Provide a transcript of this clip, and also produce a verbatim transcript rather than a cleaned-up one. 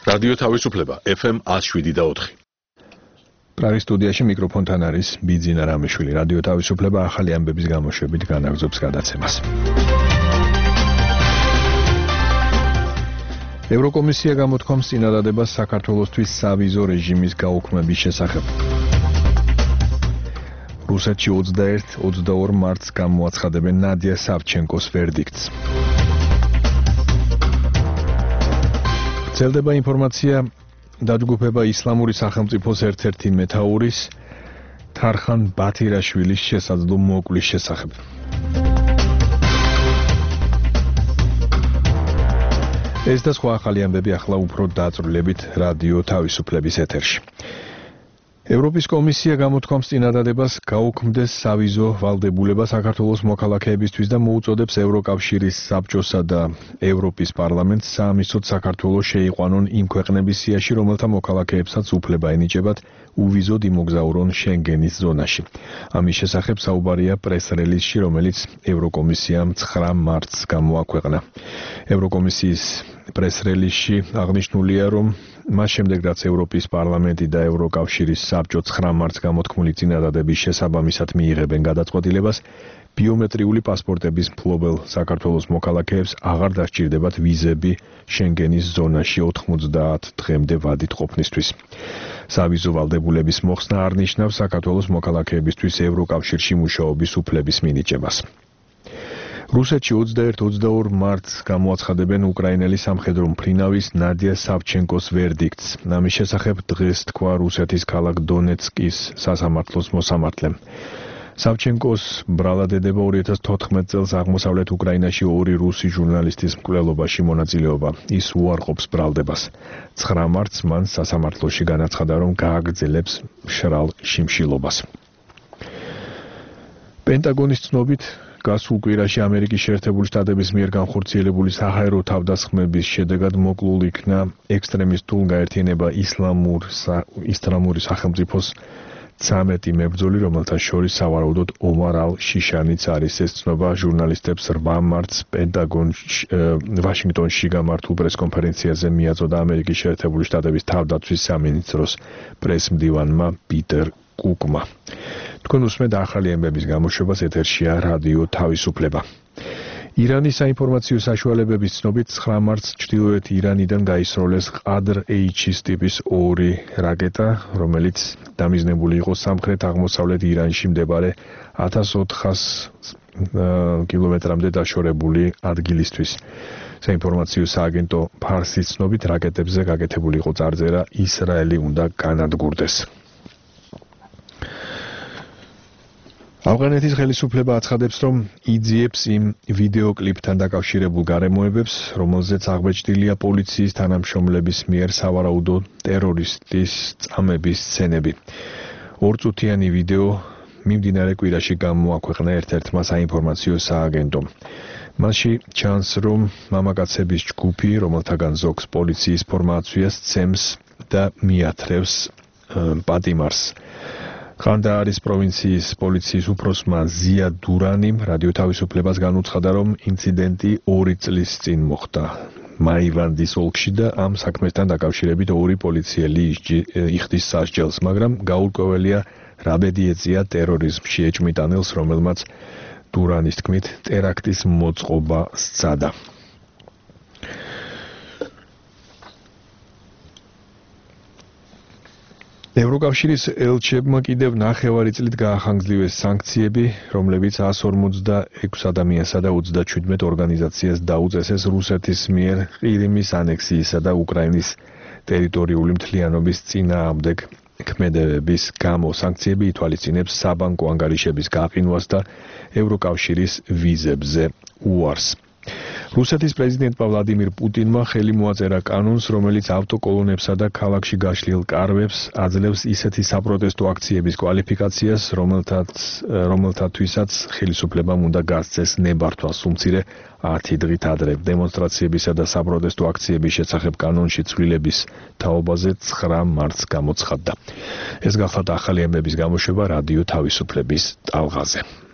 რადიო თავისუფლება ეფ ემ one oh seven და four. პრაღის სტუდიაში მიკროფონთან არის ბიძინა რამიშვილი. რადიო თავისუფლება ახალი ამბების გამოშვებით განაგრძობს გადაცემას. ევროკომისია გამოთქვამს წინადადებას საქართველოსთვის სავიზო რეჟიმის გაუქმების შესახებ. რუსეთში twenty-one twenty-two მარტს გამოაცხადებენ ნადია სავჩენკოს ვერდიქტს. ვრცელდება ინფორმაცია დაჯგუფება ისლამური სახელმწიფოს ერთ-ერთი მეთაურის თარხან ბათირაშვილის შესაძლო მოკვლის შესახებ. ეს და სხვა ახალი ამბები ახლა უფრო დაწვრილებით რადიო თავისუფლების ეთერში. ევროპის კომისია გამოთქვამს წინადადებას გაუქმდეს სავიზო ვალდებულება საქართველოს მოქალაქეებისთვის და მოუწოდებს ევროკავშირის საბჭოსა და ევროპის პარლამენტს საამისოდ საქართველოს შეიყვანონ იმ ქვეყნების სიაში, რომელთა მოქალაქეებსაც უფლება ენიჭებათ უვიზოდ იმოგზაურონ შენგენის ზონაში. ამის შესახებ საუბარია პრეს-რელიზში, რომელიც ევროკომისიამ nine მარტს გამოაქვეყნა. ევროკომისიის პრეს-რელიზში აღნიშნულია, რომ მას შემდეგ, რაც ევროპის პარლამენტი და ევროკავშირის საბჭო nine მარტს გამოთქმული წინადადების შესაბამისად მიიღებენ გადაწყვეტილებას, ბიომეტრიული პასპორტების მფლობელ საქართველოს მოქალაქეებს აღარ დასჭირდებათ ვიზები შენგენის ზონაში ninety დღემდე ვადით ყოფნისთვის. სავიზო ვალდებულების მოხსნა არ ნიშნავს საქართველოს მოქალაქეებისთვის ევროკავშირში მუშაობის უფლების მინიჭებას. რუსეთში twenty-one twenty-two მარტს გამოაცხადებენ უკრაინელი სამხედრო მფრინავის ნადია სავჩენკოს ვერდიქტს. ამის შესახებ დღეს თქვა რუსეთის ქალაქ დონეცკის სასამართლოს მოსამართლემ. სავჩენკოს ბრალადედება two thousand fourteen წელს აღმოსავლეთ უკრაინაში ორი რუსი ჟურნალისტის მკვლელობაში მონაწილეობა. ის უარყოფს ბრალდებას. nine მარტს მან სასამართლოში განაცხადა, რომ გააგრძელებს მშრალ შიმშილობას. პენტაგონის ცნობით გასულ კვირაში ამერიკის შეერთებული შტატების მიერ განხორციელებული საჰაერო თავდასხმების შედეგად მოკლულ იქნა ექსტრემისტულ გაერთიანება ისლამურ ისლამური სახელმწიფოს ცამეტი მებრძოლი, რომელთა შორის სავარაუდოდ ომარ ალ-შიშანიც არის. ეს ცნობა ჟურნალისტებს nine მარტს პენტაგონში ვაშინგტონში გამართულ პრესკონფერენციაზე მიაწოდა ამერიკის შეერთებული შტატების თავდაცვის სამინისტროს პრესმდივანმა პიტერ კუკმა. თქვენ უსმენთ ახალი ამბების გამოშვებას, ეთერშია რადიო თავისუფლება. ირანის საინფორმაციო საშუალებების ცნობით nine მარტს ჩრდილოეთ ირანიდან გაისროლეს ყადრ-ეიჩის ტიპის ორი რაკეტა, რომელიც დამიზნებული იყო სამხრეთ აღმოსავლეთ ირანში მდებარე one thousand four hundred კილომეტრამდე დაშორებული ადგილისთვის. საინფორმაციო სააგენტო ფარსის ცნობით რაკეტებზე გაკეთებული იყო წარწერა ისრაელი უნდა განადგურდეს. ავღანეთის ხელისუფლება აცხადებს, რომ იძიებს იმ ვიდეოკლიპთან დაკავშირებულ გარემოებებს, რომელზეც აღბეჭდილია პოლიციის თანამშრომლების მიერ სავარაუდო ტერორისტის წამების სცენები. ორწუთიანი ვიდეო მიმდინარე კვირაში გამოაქვეყნა ერთ-ერთმა საინფორმაციო სააგენტომ. მასში ჩანს, რომ მამაკაცების ჯგუფი, რომელთაგან ზოგს პოლიციის ფორმა აცვია, სცემს და მიათრევს პატიმარს. ხანდაარის პროვინციის პოლიციის უფროსმა ზია დურანიმ რადიო თავისუფლებას განუცხადა, რომ ინციდენტი ორი წლის წინ მოხდა მაივანდის ოლქში და ამ საქმესთან დაკავშირებით ორი პოლიციელი იხდის სასჯელს, მაგრამ გაურკვეველია რა ბედი ეწია ტერორიზმში ეჭვმიტანილს, რომელმაც დურანის თქმით ტერაქტის მოწყობა სცადა. ევროკავშირის ელჩებმა კიდევ ნახევარი წლით გაახანგრძლიwes სანქციები, რომლებიც one hundred forty-six ადამიანსა და thirty-seven ორგანიზაციას დაუწესეს რუსეთის მიერ ყირიმის ანექსიისა და უკრაინის ტერიტორიული მთლიანობის წინააღმდეგ ქმედებების გამო. სანქციები ითვალისწინებს საბანკო ანგარიშების გაყინვას და ევროკავშირის ვიზებზე უარს. რუსეთის პრეზიდენტმა ვლადიმირ პუტინმა ხელი მოაწერა კანონს, რომელიც ავტოკოლონებსა და ქალაქში გაშლილ კარვებს აძლევს ისეთი საპროტესტო აქციების კვალიფიკაციას, რომელთათვისაც ხელისუფლებამ უნდა გასცეს ნებართვა სულ-მცირე ათი დღით ადრე. დემონსტრაციებისა და საპროტესტო აქციების შესახებ კანონში ცვლილების თაობაზე nine მარტს გამოცხადდა. ეს გახლავთ ახალი ამბების გამოშვება რადიო თავისუფლების ტალღაზე.